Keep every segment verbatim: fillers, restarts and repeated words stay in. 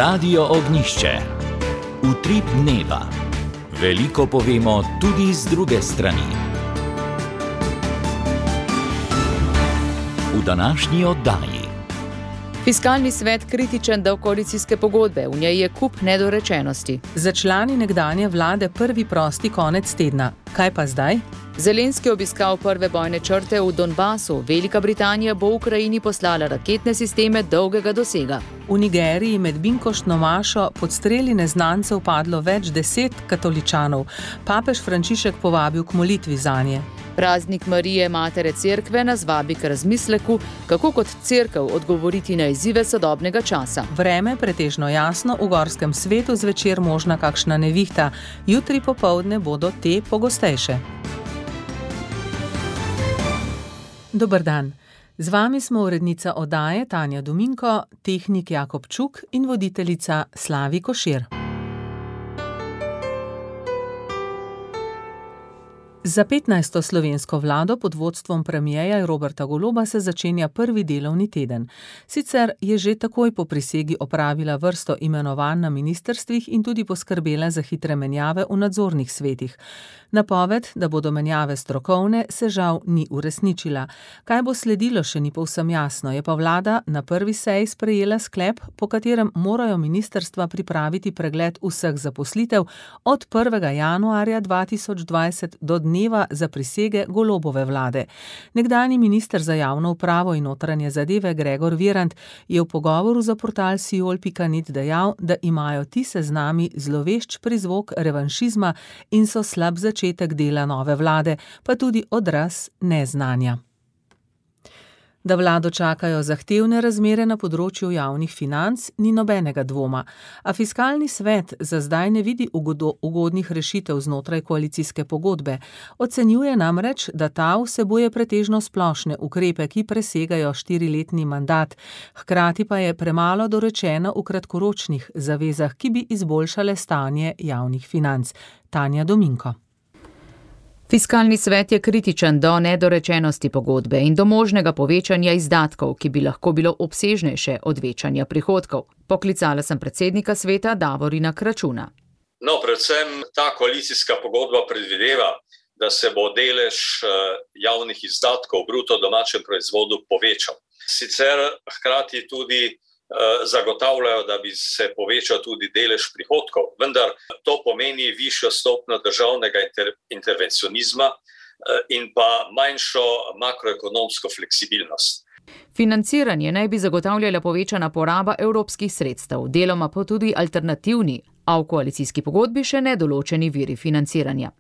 Radio Ognjišče. Utrip dneva. Veliko povemo tudi z druge strani. V današnji oddaji. Fiskalni svet kritičen do koalicijske pogodbe, v njej je kup nedorečenosti. Za člani nekdanje vlade prvi prosti konec tedna. Kaj pa zdaj? Zelenski obiskal prve bojne črte v Donbasu. Velika Britanija bo Ukrajini poslala raketne sisteme dolgega dosega. V Nigeriji med binkoštno mašo pod streli neznancev padlo več deset katoličanov. Papež Frančišek povabil k molitvi zanje. Praznik Marije, matere cerkve, nas vabi k razmisleku, kako kot cerkev odgovoriti na izzive sodobnega časa. Vreme pretežno jasno, v gorskem svetu zvečer možna kakšna nevihta. Jutri popoldne bodo te pogostejše. Dober dan. Z vami smo urednica oddaje Tanja Dominko, tehnik Jakob Čuk in voditeljica Slavi Košir. Za petnajsto slovensko vlado pod vodstvom premierja Roberta Goloba se začenja prvi delovni teden. Sicer je že takoj po prisegi opravila vrsto imenovanj na ministrstvih in tudi poskrbela za hitre menjave v nadzornih svetih. Napoved, da bodo menjave strokovne, se žal ni uresničila. Kaj bo sledilo, še ni povsem jasno, je pa vlada na prvi seji sprejela sklep, po katerem morajo ministrstva pripraviti pregled vseh zaposlitev od prvega januarja dva tisoč dvajset do dneva za prisege Golobove vlade. Nekdanji minister za javno upravo in notranje zadeve Gregor Virant je v pogovoru za portal siol pika net dejal, da imajo ti seznami zlovešč prizvok revanšizma in so slab začetek dela nove vlade, pa tudi odraz neznanja. Da vlado čakajo zahtevne razmere na področju javnih financ, ni nobenega dvoma, a fiskalni svet za zdaj ne vidi ugodnih rešitev znotraj koalicijske pogodbe. Ocenjuje namreč, da ta vsebuje pretežno splošne ukrepe, ki presegajo štiriletni mandat, hkrati pa je premalo dorečeno v kratkoročnih zavezah, ki bi izboljšale stanje javnih financ. Tanja Dominko. Fiskalni svet je kritičen do nedorečenosti pogodbe in do možnega povečanja izdatkov, ki bi lahko bilo obsežnejše od večanja prihodkov. Poklicala sem predsednika sveta Davorina Kračuna. No, predvsem ta koalicijska pogodba predvideva, da se bo delež javnih izdatkov v bruto domačem proizvodu povečal. Sicer hkrati tudi zagotavljajo, da bi se povečal tudi delež prihodkov, vendar to pomeni višjo stopnjo državnega inter- intervencionizma in pa manjšo makroekonomsko fleksibilnost. Financiranje naj bi zagotavljala povečana poraba evropskih sredstev, deloma pa tudi alternativni, a v koalicijski pogodbi še nedoločeni viri financiranja.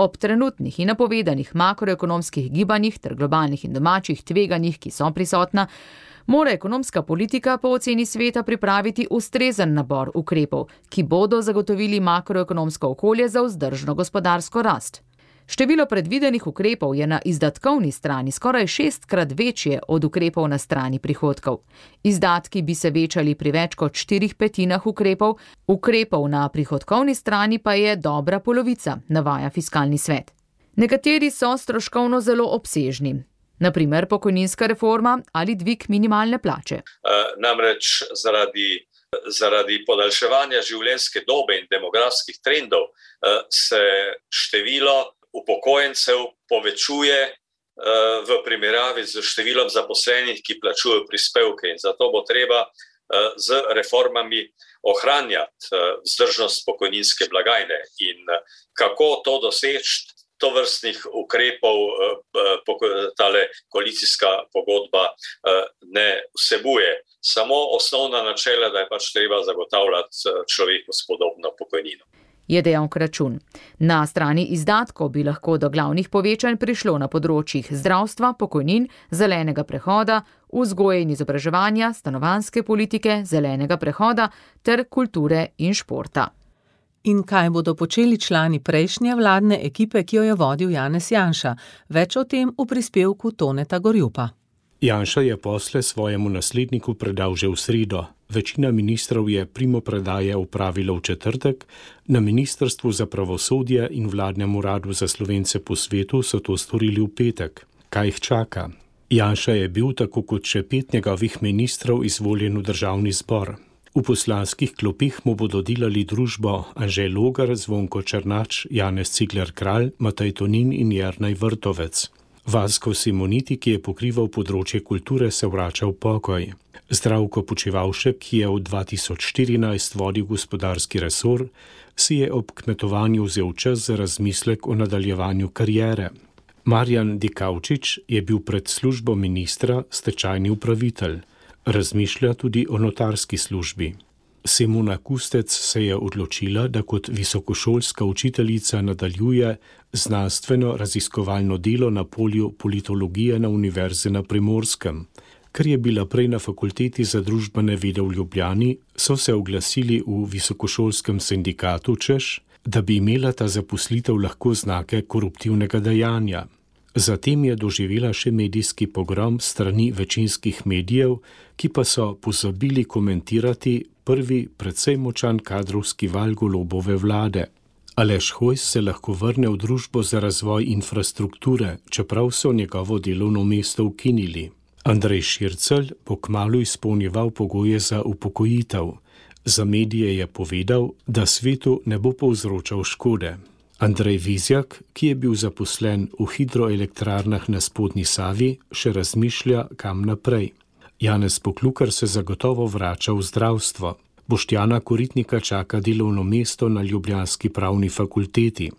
Ob trenutnih in napovedanih makroekonomskih gibanjih ter globalnih in domačih tveganjih, ki so prisotna, mora ekonomska politika po oceni sveta pripraviti ustrezen nabor ukrepov, ki bodo zagotovili makroekonomsko okolje za vzdržno gospodarsko rast. Število predvidenih ukrepov je na izdatkovni strani skoraj šestkrat večje od ukrepov na strani prihodkov. Izdatki bi se večali pri več kot štirih petinah ukrepov, ukrepov na prihodkovni strani pa je dobra polovica, navaja fiskalni svet. Nekateri so stroškovno zelo obsežni. Naprimer pokojninska reforma ali dvig minimalne plače. E, namreč zaradi, zaradi podaljševanja življenjske dobe in demografskih trendov e, se število upokojencev povečuje e, v primerjavi z številom zaposlenih, ki plačujejo prispevke, in zato bo treba e, z reformami ohranjati e, vzdržnost pokojninske blagajne. In kako to doseči? To vrstnih ukrepov tale koalicijska pogodba ne vsebuje. Samo osnovna načela, da je pač treba zagotavljati človeku spodobno pokojnino. Je dejal Kračun. Na strani izdatkov bi lahko do glavnih povečanj prišlo na področjih zdravstva, pokojnin, zelenega prehoda, vzgoje in izobraževanja, stanovanjske politike, zelenega prehoda ter kulture in športa. In kaj bodo počeli člani prejšnje vladne ekipe, ki jo je vodil Janez Janša? Več o tem v prispevku Toneta Gorjupa. Janša je posle svojemu nasledniku predal že v sredo. Večina ministrov je primopredaje opravila v četrtek, na Ministrstvu za pravosodje in vladnem uradu za Slovence po svetu so to storili v petek. Kaj jih čaka? Janša je bil, tako kot še pet njegovih ministrov, izvoljen v državni zbor. V poslanskih klopih mu bodo delali družbo Anže Logar, Zvonko Černač, Janez Cigler-Kralj, Matej Tonin in Jernej Vrtovec. Vasko Simoniti, ki je pokrival področje kulture, se vrača v pokoj. Zdravko Počivalšek, ki je od dva tisoč štirinajst vodil gospodarski resor, si je ob kmetovanju vzel čas za razmislek o nadaljevanju kariere. Marjan Dikaučič je bil pred službo ministra stečajni upravitelj. Razmišlja tudi o notarski službi. Simona Kustec se je odločila, da kot visokošolska učiteljica nadaljuje znanstveno raziskovalno delo na polju politologije na Univerzi na Primorskem. Ker je bila prej na fakulteti za družbene vede v Ljubljani, so se oglasili v visokošolskem sindikatu, češ, da bi imela ta zaposlitev lahko znake koruptivnega dejanja. Zatem je doživela še medijski pogrom strani večinskih medijev, ki pa so pozabili komentirati prvi precej močan kadrovski val Golobove vlade. Aleš Hojs se lahko vrne v družbo za razvoj infrastrukture, čeprav so njegovo delovno mesto ukinili. Andrej Šircelj bo kmalu izpolnjeval pogoje za upokojitev. Za medije je povedal, da svetu ne bo povzročal škode. Andrej Vizjak, ki je bil zaposlen v hidroelektrarnah na spodnji Savi, še razmišlja, kam naprej. Janez Poklukar se zagotovo vrača v zdravstvo. Boštjana Koritnika čaka delovno mesto na ljubljanski pravni fakulteti.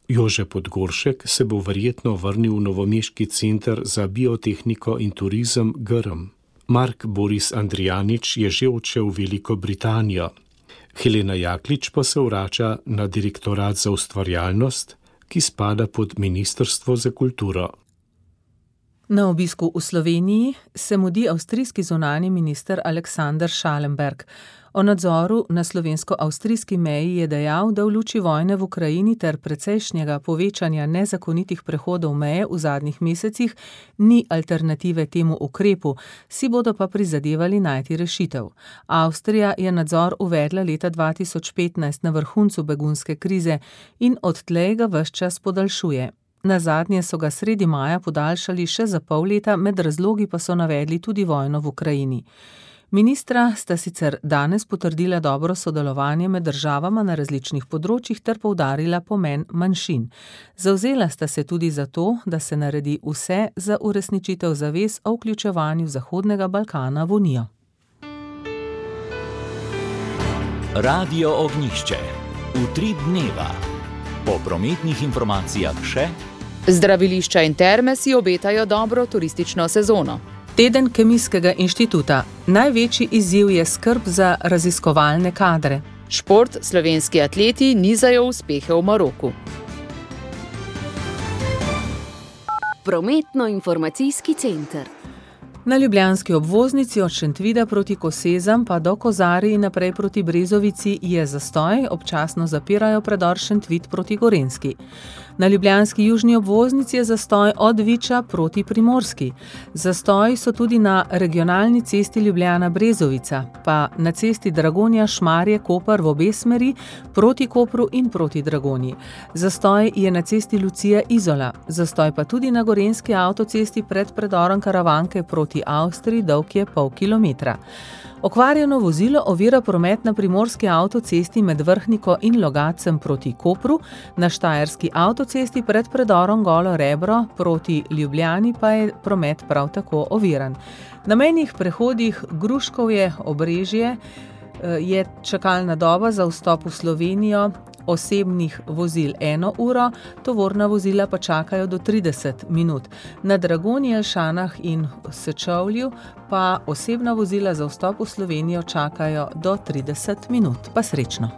Jože Podgoršek se bo verjetno vrnil v novomeški center za biotehniko in turizem Grm. Mark Boris Andrijanič je že odšel v Veliko Britanijo. Helena Jaklič pa se vrača na direktorat za ustvarjalnost, ki spada pod Ministrstvo za kulturo. Na obisku v Sloveniji se mudi avstrijski zunanji minister Aleksander Schallenberg. O nadzoru na slovensko-avstrijski meji je dejal, da v luči vojne v Ukrajini ter precejšnjega povečanja nezakonitih prehodov meje v zadnjih mesecih ni alternative temu ukrepu, si bodo pa prizadevali najti rešitev. Avstrija je nadzor uvedla leta dva tisoč petnajst na vrhuncu begunske krize in odtlej ga ves čas podaljšuje. Nazadnje so ga sredi maja podaljšali še za pol leta, med razlogi pa so navedli tudi vojno v Ukrajini. Ministra sta sicer danes potrdila dobro sodelovanje med državama na različnih področjih ter poudarila pomen manjšin. Zavzela sta se tudi za to, da se naredi vse za uresničitev zavez o vključevanju Zahodnega Balkana v Unijo. Radio Ognjišče. Utrip dneva. Po prometnih informacijah še zdravilišča in terme si obetajo dobro turistično sezono. Teden Kemijskega inštituta. Največji izziv je skrb za raziskovalne kadre. Šport, slovenski atleti nizajo uspehe v Maroku. Prometno-informacijski center. Na ljubljanski obvoznici od Šentvida proti Kosezam pa do Kozarij in naprej proti Brezovici je zastoj, občasno zapirajo predor Šentvid proti Gorenjski. Na ljubljanski južni obvoznici je zastoj od Viča proti Primorski. Zastoji so tudi na regionalni cesti Ljubljana-Brezovica, pa na cesti Dragonja-Šmarje-Koper v obe smeri proti Kopru in proti Dragonji. Zastoj je na cesti Lucija-Izola, zastoj pa tudi na gorenjski avtocesti pred predorom Karavanke proti Avstriji, dolg je pol kilometra. Okvarjeno vozilo ovira promet na primorski avtocesti med Vrhniko in Logatcem proti Kopru, na štajerski avtocesti pred predorom Golo Rebro proti Ljubljani pa je promet prav tako oviran. Na mejnih prehodih Gruškovje, Obrežje je čakalna doba za vstop v Slovenijo osebnih vozil eno uro, tovorna vozila pa čakajo do trideset minut. Na Dragonji, Jelšanah in Sečovlju pa osebna vozila za vstop v Slovenijo čakajo do trideset minut. Pa srečno!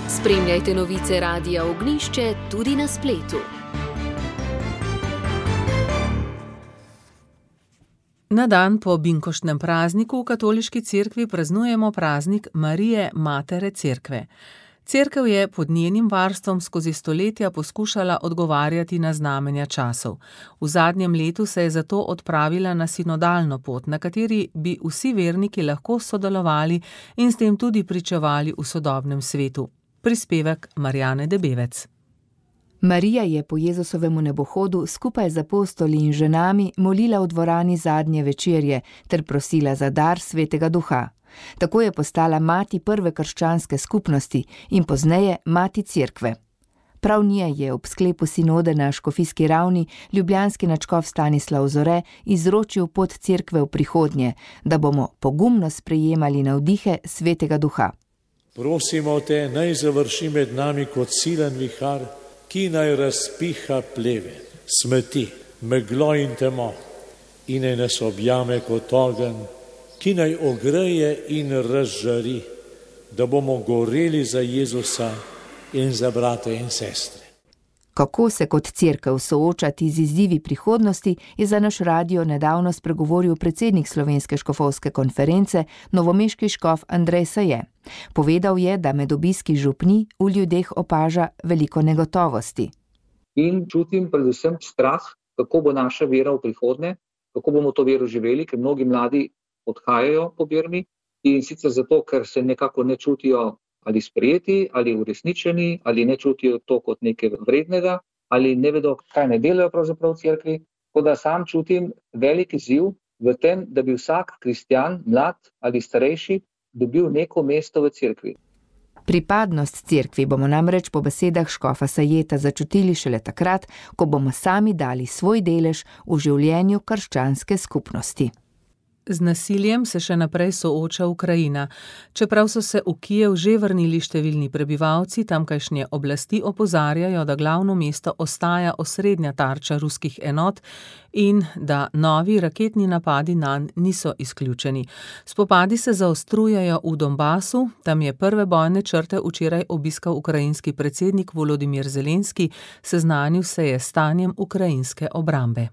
Spremljajte novice Radia Ognjišče tudi na spletu. Na dan po binkoštnem prazniku v katoliški cerkvi praznujemo praznik Marije Matere Cerkve. Cerkev je pod njenim varstvom skozi stoletja poskušala odgovarjati na znamenja časov. V zadnjem letu se je zato odpravila na sinodalno pot, na kateri bi vsi verniki lahko sodelovali in s tem tudi pričevali v sodobnem svetu. Prispevek Marjane Debevec. Marija je po Jezusovemu nebohodu skupaj z apostoli in ženami molila v dvorani zadnje večerje ter prosila za dar Svetega Duha. Tako je postala mati prve krščanske skupnosti in pozneje mati cerkve. Prav nje je ob sklepu sinode na škofijski ravni ljubljanski nadškof Stanislav Zore izročil pot cerkve v prihodnje, da bomo pogumno sprejemali navdihe Svetega Duha. Prosimo te, naj završi med nami kot silen vihar, ki naj razpiha pleve, smeti, meglo in temo, in naj nas objame kot ogenj, ki naj ogreje in razžari, da bomo goreli za Jezusa in za brate in sestre. Kako se kot cerkev soočati z izzivi prihodnosti, je za naš radio nedavno spregovoril predsednik Slovenske škofovske konference, novomeški škof Andrej Saje. Povedal je, da med obiski župni v ljudeh opaža veliko negotovosti. In čutim predvsem strah, kako bo naša vera v prihodnje, kako bomo to vero živeli, ker mnogi mladi odhajajo po Birmi in sicer zato, ker se nekako ne čutijo ali sprejeti, ali uresničeni, ali ne čutijo to kot nekaj vrednega, ali ne vedo, kaj ne delajo pravzaprav v cerkvi. Tako da sam čutim velik izziv v tem, da bi vsak kristjan, mlad ali starejši, dobil neko mesto v cerkvi. Pripadnost cerkvi bomo namreč po besedah škofa Sajeta začutili šele takrat, ko bomo sami dali svoj delež v življenju krščanske skupnosti. Z nasiljem se še naprej sooča Ukrajina. Čeprav so se v Kijev že vrnili številni prebivalci, tamkajšnje oblasti opozarjajo, da glavno mesto ostaja osrednja tarča ruskih enot in da novi raketni napadi nanj niso izključeni. Spopadi se zaostrujejo v Donbasu, tam je prve bojne črte včeraj obiskal ukrajinski predsednik Volodimir Zelenski, seznanil se je s stanjem ukrajinske obrambe.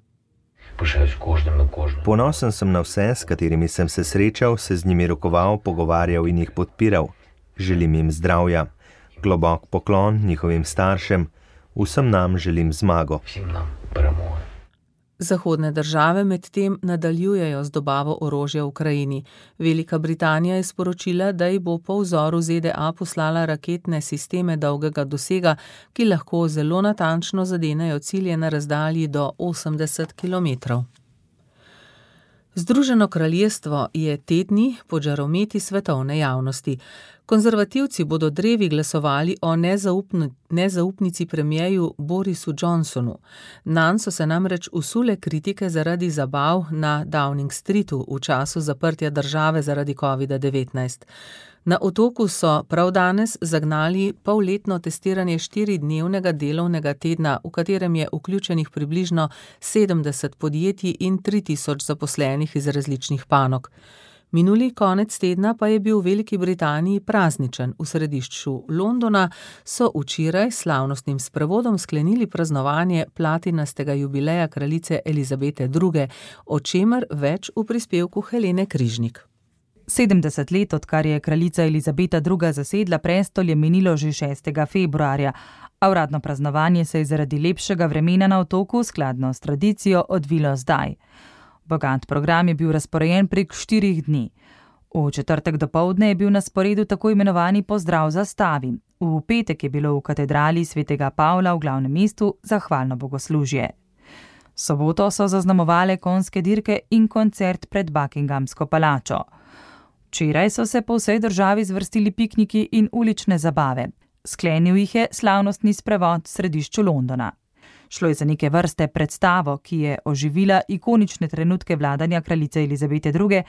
Ponosen sem na vse, s katerimi sem se srečal, se z njimi rokoval, pogovarjal in jih podpiral. Želim jim zdravja, globok poklon njihovim staršem, vsem nam želim zmago. Zahodne države medtem nadaljujejo z dobavo orožja v Ukrajini. Velika Britanija je sporočila, da ji bo po vzoru Z D A poslala raketne sisteme dolgega dosega, ki lahko zelo natančno zadenejo cilje na razdalji do osemdeset kilometrov. Združeno kraljestvo je te dni pod žarometi svetovne javnosti. Konzervativci bodo drevi glasovali o nezaupni, nezaupnici premierju Borisu Johnsonu. Nanj so se namreč usule kritike zaradi zabav na Downing Streetu v času zaprtja države zaradi kovida devetnajst. Na Otoku so prav danes zagnali polletno testiranje štiridnevnega delovnega tedna, v katerem je vključenih približno sedemdeset podjetij in tri tisoč zaposlenih iz različnih panog. Minuli konec tedna pa je bil v Veliki Britaniji prazničen. V središču Londona so včeraj s slavnostnim sprevodom sklenili praznovanje platinastega jubileja kraljice Elizabete druge, o čemer več v prispevku Helene Križnik. sedemdeset let, odkar je kraljica Elizabeta druga zasedla prestol, je minilo že šestega februarja, a uradno praznovanje se je zaradi lepšega vremena na Otoku skladno s tradicijo odvilo zdaj. Bogat program je bil razporejen prek štirih dni. V četrtek dopoldne je bil na sporedu tako imenovani pozdrav zastavi. V petek je bilo v katedrali svetega Pavla v glavnem mestu zahvalno bogoslužje. Soboto so zaznamovale konjske dirke in koncert pred Buckinghamsko palačo. Včeraj so se po vsej državi zvrstili pikniki in ulične zabave. Sklenil jih je slavnostni sprevod v središču Londona. Šlo je za neke vrste predstavo, ki je oživila ikonične trenutke vladanja kraljice Elizabete druge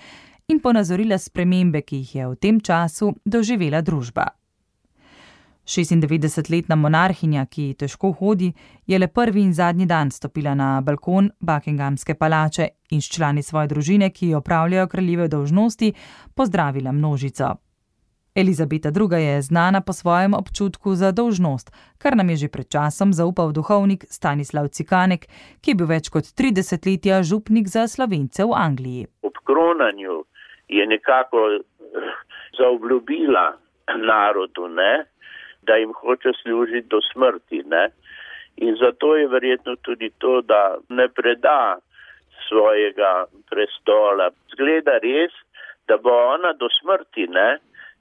in ponazorila spremembe, ki jih je v tem času doživela družba. šestindevetdesetletna monarhinja, ki težko hodi, je le prvi in zadnji dan stopila na balkon Buckinghamske palače in s člani svoje družine, ki opravljajo kraljive dolžnosti, pozdravila množico. Elizabeta druga je znana po svojem občutku za dolžnost, kar nam je že pred časom zaupal duhovnik Stanislav Cikanek, ki je bil več kot tri desetletja župnik za Slovence v Angliji. Ob kronanju je nekako zaobljubila narodu, ne, da jim hoče služiti do smrti, ne. In zato je verjetno tudi to, da ne preda svojega prestola. Zgleda res, da bo ona do smrti, ne,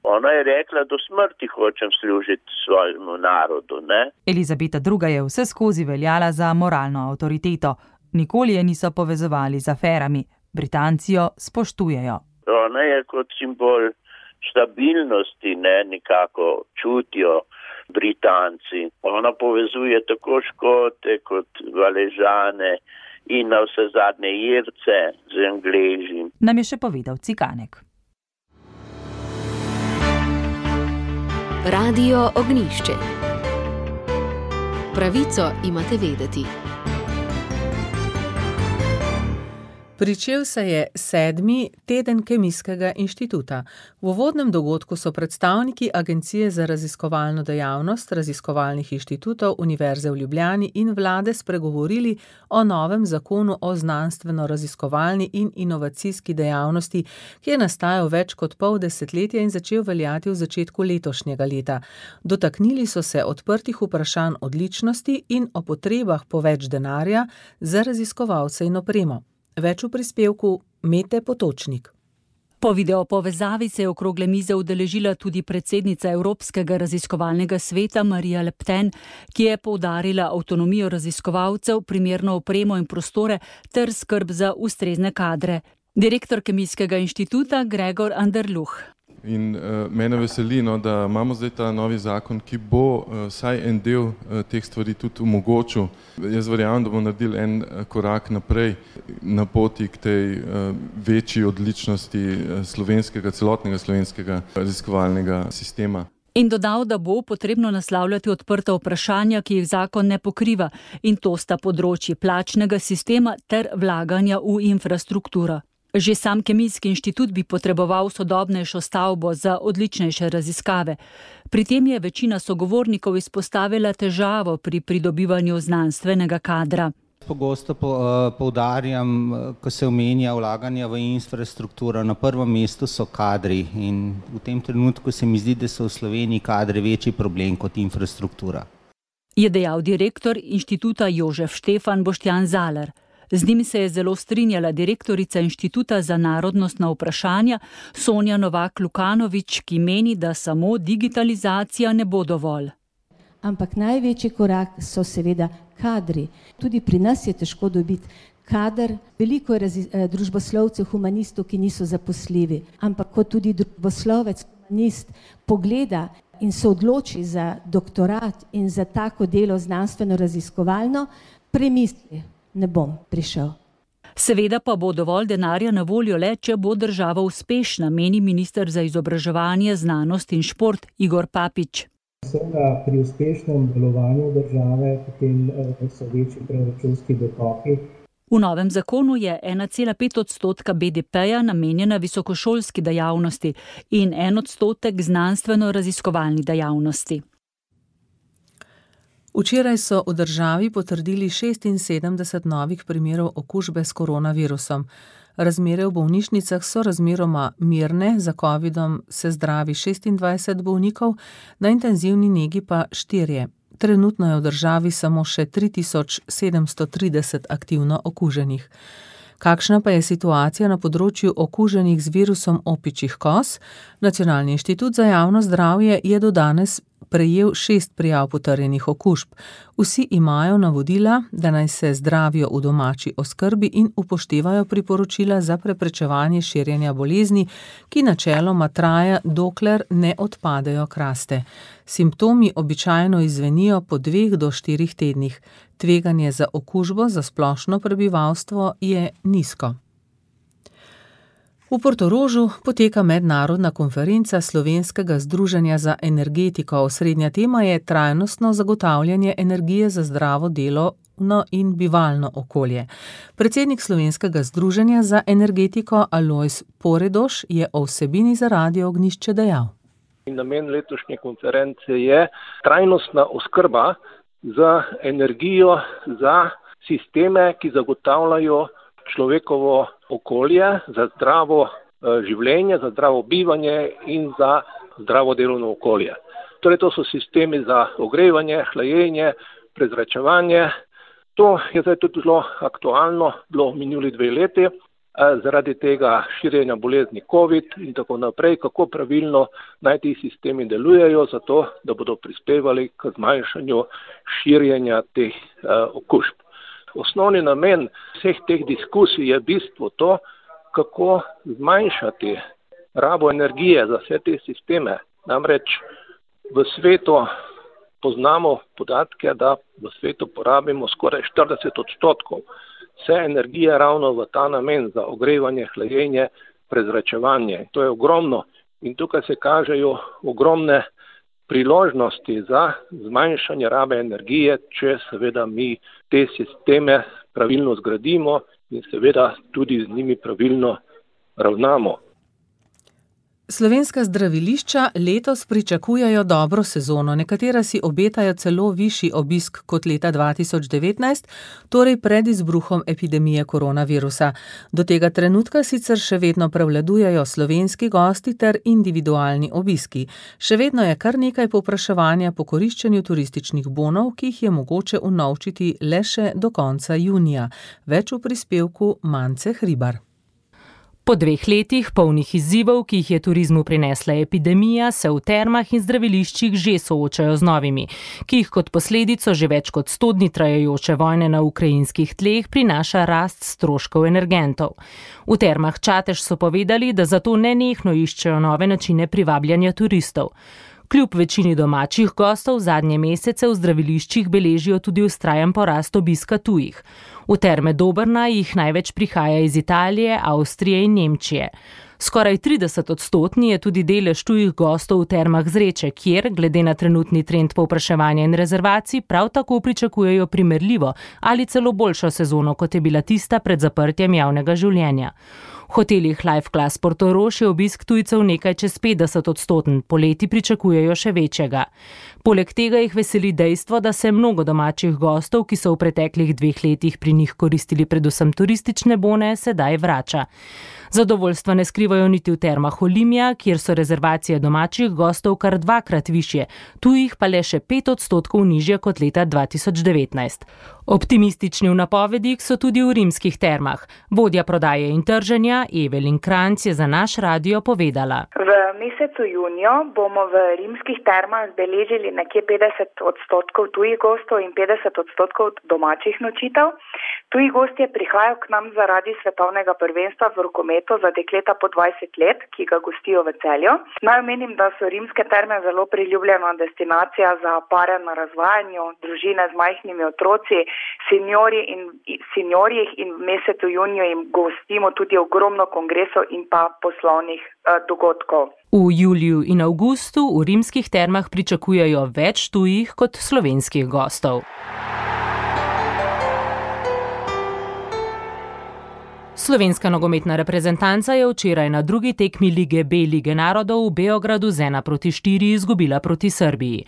Ona je rekla, do smrti hočem služiti svojemu narodu, ne? Elizabeta druga. je vse skozi veljala za moralno avtoriteto. Nikoli je niso povezovali z aferami. Britanci jo spoštujejo. Ona je kot simbol stabilnosti, ne, nekako čutijo Britanci. Ona povezuje tako Škote kot Valežane in na vse zadnje Irce z Angleži. Nam je še povedal Cikanek. Radio Ognjišče. Pravico imate vedeti. Pričel se je sedmi teden Kemijskega inštituta. V uvodnem dogodku so predstavniki Agencije za raziskovalno dejavnost, raziskovalnih inštitutov, Univerze v Ljubljani in vlade spregovorili o novem zakonu o znanstveno-raziskovalni in inovacijski dejavnosti, ki je nastajal več kot pol desetletja in začel veljati v začetku letošnjega leta. Dotaknili so se odprtih vprašanj odličnosti in o potrebah po več denarja za raziskovalce in opremo. Več v prispevku Mete Potočnik. Po videopovezavi se je okrogle mize udeležila tudi predsednica Evropskega raziskovalnega sveta Marija Le Pen, ki je poudarila avtonomijo raziskovalcev, primerno opremo in prostore ter skrb za ustrezne kadre. Direktor Kemijskega inštituta Gregor Anderluh. In uh, mene veseli, no, da imamo zdaj ta novi zakon, ki bo uh, vsaj en del uh, teh stvari tudi omogočil. Jaz verjamem, da bomo naredili en uh, korak naprej na poti k tej uh, večji odličnosti uh, slovenskega, celotnega slovenskega raziskovalnega sistema. In dodal, da bo potrebno naslavljati odprta vprašanja, ki jih zakon ne pokriva, in to sta področji plačnega sistema ter vlaganja v infrastrukturo. Že sam Kemijski inštitut bi potreboval sodobnejšo stavbo za odličnejše raziskave. Pri tem je večina sogovornikov izpostavila težavo pri pridobivanju znanstvenega kadra. Pogosto poudarjam, ko se omenja vlaganja v infrastrukturo, na prvem mestu so kadri in v tem trenutku se mi zdi, da so v Sloveniji kadri večji problem kot infrastruktura. Je dejal direktor inštituta Jožef Štefan Boštjan Zalar. Z njim se je zelo strinjala direktorica Inštituta za narodnostna vprašanja Sonja Novak-Lukanovič, ki meni, da samo digitalizacija ne bo dovolj. Ampak največji korak so seveda kadri. Tudi pri nas je težko dobiti kader. Veliko je družboslovcev, humanistov, ki niso zaposljivi. Ampak kot tudi družboslovec, humanist pogleda in se odloči za doktorat in za tako delo znanstveno-raziskovalno, premisli. Ne bom prišel. Seveda pa bo dovolj denarja na voljo le, če bo država uspešna, meni minister za izobraževanje, znanost in šport Igor Papič. Seveda pri uspešnem delovanju države potem so večji proračunski dotoki. V novem zakonu je ena cela pet odstotka B D P-ja namenjena visokošolski dejavnosti in en odstotek znanstveno-raziskovalni dejavnosti. Včeraj so v državi potrdili šestinsedemdeset novih primerov okužbe s koronavirusom. Razmere v bolnišnicah so razmeroma mirne, za covidom se zdravi šestindvajset bolnikov, na intenzivni negi pa štirje. Trenutno je v državi samo še tri tisoč sedemsto trideset aktivno okuženih. Kakšna pa je situacija na področju okuženih z virusom opičjih koz? Nacionalni inštitut za javno zdravje je do danes prejel šest prijav potrjenih okužb. Vsi imajo navodila, da naj se zdravijo v domači oskrbi in upoštevajo priporočila za preprečevanje širjenja bolezni, ki načeloma traja, dokler ne odpadejo kraste. Simptomi običajno izzvenijo po dveh do štirih tednih. Tveganje za okužbo za splošno prebivalstvo je nizko. V Portorožu poteka mednarodna konferenca Slovenskega združenja za energetiko. Osrednja tema je trajnostno zagotavljanje energije za zdravo delovno in bivalno okolje. Predsednik Slovenskega združenja za energetiko Alojz Poredoš je o vsebini za Radio Ognjišče dejal. Namen letošnje konference je trajnostna oskrba z energijo za sisteme, ki zagotavljajo človekovo okolje, za zdravo življenje, za zdravo bivanje in za zdravo delovno okolje. Torej to so sistemi za ogrevanje, hlajenje, prezračevanje. To je zdaj tudi zelo aktualno, bilo minuli dve leti. zaradi tega širjenja bolezni COVID in tako naprej, kako pravilno naj ti sistemi delujejo, zato da bodo prispevali k zmanjšanju širjenja teh okužb. Osnovni namen vseh teh diskusij je v bistvu to, kako zmanjšati rabo energije za vse te sisteme. Namreč v svetu poznamo podatke, da v svetu porabimo skoraj štirideset odstotkov vse energije ravno v ta namen za ogrevanje, hlajenje, prezračevanje. To je ogromno in tukaj se kažejo ogromne priložnosti za zmanjšanje rabe energije, če seveda mi te sisteme pravilno zgradimo in seveda tudi z njimi pravilno ravnamo. Slovenska zdravilišča letos pričakujejo dobro sezono, nekatera si obetajo celo višji obisk kot leta dva tisoč devetnajst, torej pred izbruhom epidemije koronavirusa. Do tega trenutka sicer še vedno prevladujejo slovenski gosti ter individualni obiski. Še vedno je kar nekaj povpraševanja po koriščenju turističnih bonov, ki jih je mogoče unovčiti le še do konca junija. Več v prispevku Mance Hribar. Po dveh letih polnih izzivov, ki jih je turizmu prinesla epidemija, se v termah in zdraviliščih že soočajo z novimi, ki jih kot posledico že več kot sto dni trajajoče vojne na ukrajinskih tleh prinaša rast stroškov energentov. V termah Čatež so povedali, da zato nenehno iščejo nove načine privabljanja turistov. Kljub večini domačih gostov zadnje mesece v zdraviliščih beležijo tudi vztrajen porast obiska tujih. V terme Dobrna jih največ prihaja iz Italije, Avstrije in Nemčije. Skoraj trideset odstotni je tudi delež tujih gostov v termah Zreče, kjer, glede na trenutni trend povpraševanja in rezervacij, prav tako pričakujejo primerljivo ali celo boljšo sezono, kot je bila tista pred zaprtjem javnega življenja. V hotelih Life Class Portorož je obisk tujcev nekaj čez petdeset odstoten, poleti pričakujejo še večjega. Poleg tega jih veseli dejstvo, da se mnogo domačih gostov, ki so v preteklih dveh letih pri njih koristili predvsem turistične bone, sedaj vrača. Zadovoljstva ne skrivajo niti v termah Olimia, kjer so rezervacije domačih gostov kar dvakrat višje, tujih pa le še pet odstotkov nižje kot leta dva tisoč devetnajst. Optimistični v napovedih so tudi v rimskih termah. Vodja prodaje in trženja Evelin Kranjc je za naš radio povedala. V mesecu juniju bomo v rimskih termah beležili nekje petdeset odstotkov tujih gostov in petdeset odstotkov domačih nočitev. Tuji gostje prihajajo k nam zaradi svetovnega prvenstva v rokometu za dekleta po dvajset let, ki ga gostijo v Celju. Naj omenim, da so rimske terme zelo priljubljena destinacija za pare na razvajanju, družine z majhnimi otroci, seniorji in seniorjih in v mesecu juniju jim gostimo tudi ogromno kongresov in pa poslovnih eh, dogodkov. V juliju in avgustu v rimskih termah pričakujejo več tujih kot slovenskih gostov. Slovenska nogometna reprezentanca je včeraj na drugi tekmi Lige B Lige narodov v Beogradu z ena proti štiri izgubila proti Srbiji.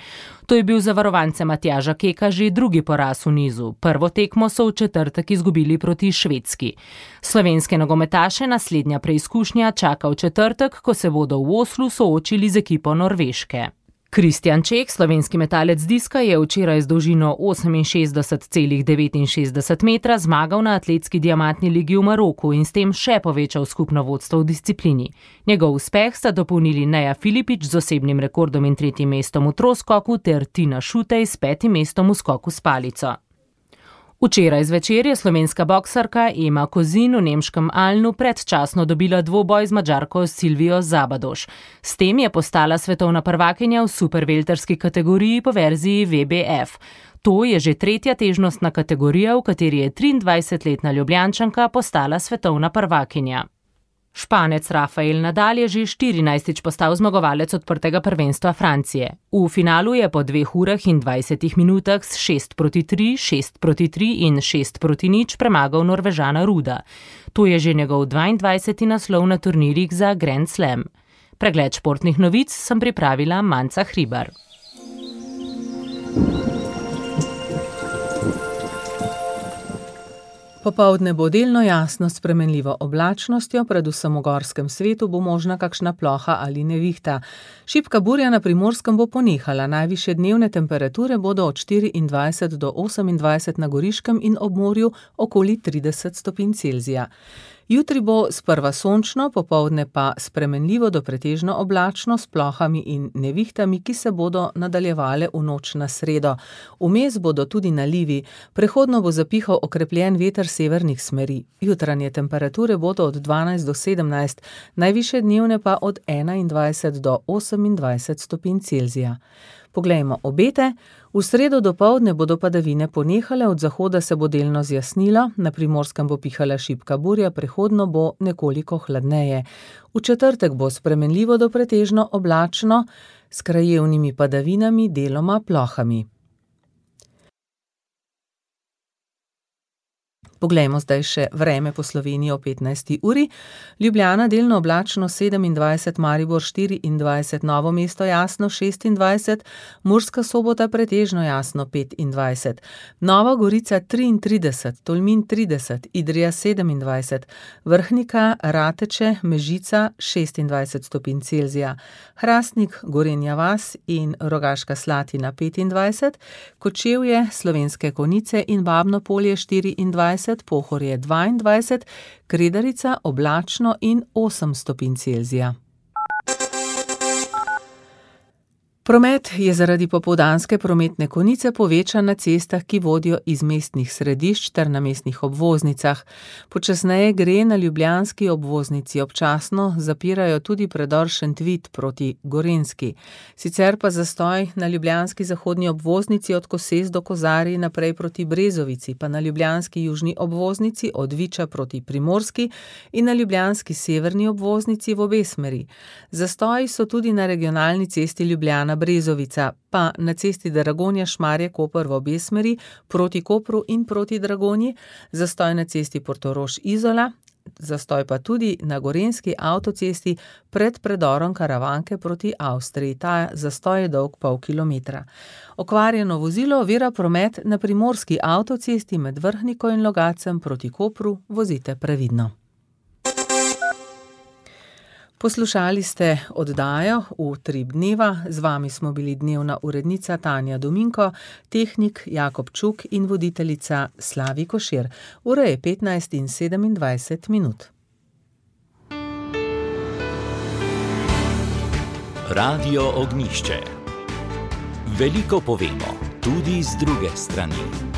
To je bil za varovance Matjaža Keka že drugi poraz v nizu. Prvo tekmo so v četrtek izgubili proti Švedski. Slovenske nogometaše naslednja preizkušnja čaka v četrtek, ko se bodo v Oslu soočili z ekipo Norveške. Kristjan Čeh, slovenski metalec diska, je včeraj z dolžino oseminšestdeset celih devetinšestdeset metra zmagal na atletski diamantni ligi v Maroku in s tem še povečal skupno vodstvo v disciplini. Njegov uspeh sta dopolnili Neja Filipič z osebnim rekordom in tretjim mestom v troskoku ter Tina Šutej s petim mestom v skoku s palico. Včeraj zvečer je slovenska boksarka Ema Kozin v nemškem Alnu predčasno dobila dvoboj z Madžarko Silvijo Zabadoš. S tem je postala svetovna prvakinja v supervelterski kategoriji po verziji V B F. To je že tretja težnostna kategorija, v kateri je triindvajsetletna Ljubljančanka postala svetovna prvakinja. Španec Rafael Nadal je že štirinajstič postal zmagovalec odprtega prvenstva Francije. V finalu je po dveh urah in dvajsetih minutah s šest proti tri, šest proti tri in šest proti nič premagal Norvežana Ruda. To je že njegov dvaindvajseti naslov na turnirjih za Grand Slam. Pregled športnih novic sem pripravila Manca Hribar. Popoldne bo delno jasno s spremenljivo oblačnostjo, predvsem v gorskem svetu bo možna kakšna ploha ali nevihta. Šibka burja na Primorskem bo ponehala, najvišje dnevne temperature bodo od štiriindvajset do osemindvajset na Goriškem in ob morju okoli trideset stopinj Celzija. Jutri bo sprva sončno, popoldne pa spremenljivo do pretežno oblačno s plohami in nevihtami, ki se bodo nadaljevale v noč na sredo. Vmes bodo tudi nalivi, prehodno bo zapihal okrepljen veter severnih smeri. Jutranje temperature bodo od dvanajst do sedemnajst, najvišje dnevne pa od enaindvajset do osemindvajset stopinj Celzija. Poglejmo obete. V sredo dopoldne bodo padavine ponehale, od zahoda se bo delno zjasnilo, na Primorskem bo pihala šibka burja, prehodno bo nekoliko hladneje. V četrtek bo spremenljivo do pretežno oblačno, s krajevnimi padavinami, deloma plohami. Poglejmo zdaj še vreme po Sloveniji o petnajsti uri. Ljubljana delno oblačno sedemindvajset, Maribor štiriindvajset, Novo mesto jasno šestindvajset, Murska Sobota pretežno jasno petindvajset, Nova Gorica triintrideset, Tolmin trideset, Idrija sedemindvajset, Vrhnika, Rateče, Mežica šestindvajset stopinj Celzija, Hrastnik, Gorenja vas in Rogaška Slatina petindvajset, Kočevje, Slovenske Konjice in Babno Polje štiriindvajset, Pohorje dvaindvajset, Kredarica oblačno in osem stopinj Celzija. Promet je zaradi popoldanske prometne konice povečan na cestah, ki vodijo iz mestnih središč ter na mestnih obvoznicah. Počasneje gre na ljubljanski obvoznici, občasno zapirajo tudi predor Šentvid proti Gorenjski. Sicer pa zastoj na ljubljanski zahodni obvoznici od Koses do Kozarij naprej proti Brezovici, pa na ljubljanski južni obvoznici od Viča proti Primorski in na ljubljanski severni obvoznici v obe smeri. Zastoji so tudi na regionalni cesti Ljubljana Brezovica, pa na cesti Dragonja Šmarje Koper v obe smeri, proti Kopru in proti Dragonji, zastoj na cesti Portorož Izola, zastoj pa tudi na gorenjski avtocesti pred predorom Karavanke proti Avstriji. Ta zastoj je dolg pol kilometra. Okvarjeno vozilo ovira promet na primorski avtocesti med Vrhniko in Logacem proti Kopru, vozite previdno. Poslušali ste oddajo Utrip dneva, z vami smo bili dnevna urednica Tanja Dominko, tehnik Jakob Čuk in voditeljica Slavi Košir. Ura je petnajst in sedemindvajset minut. Radio Ognjišče. Veliko povemo, tudi z druge strani.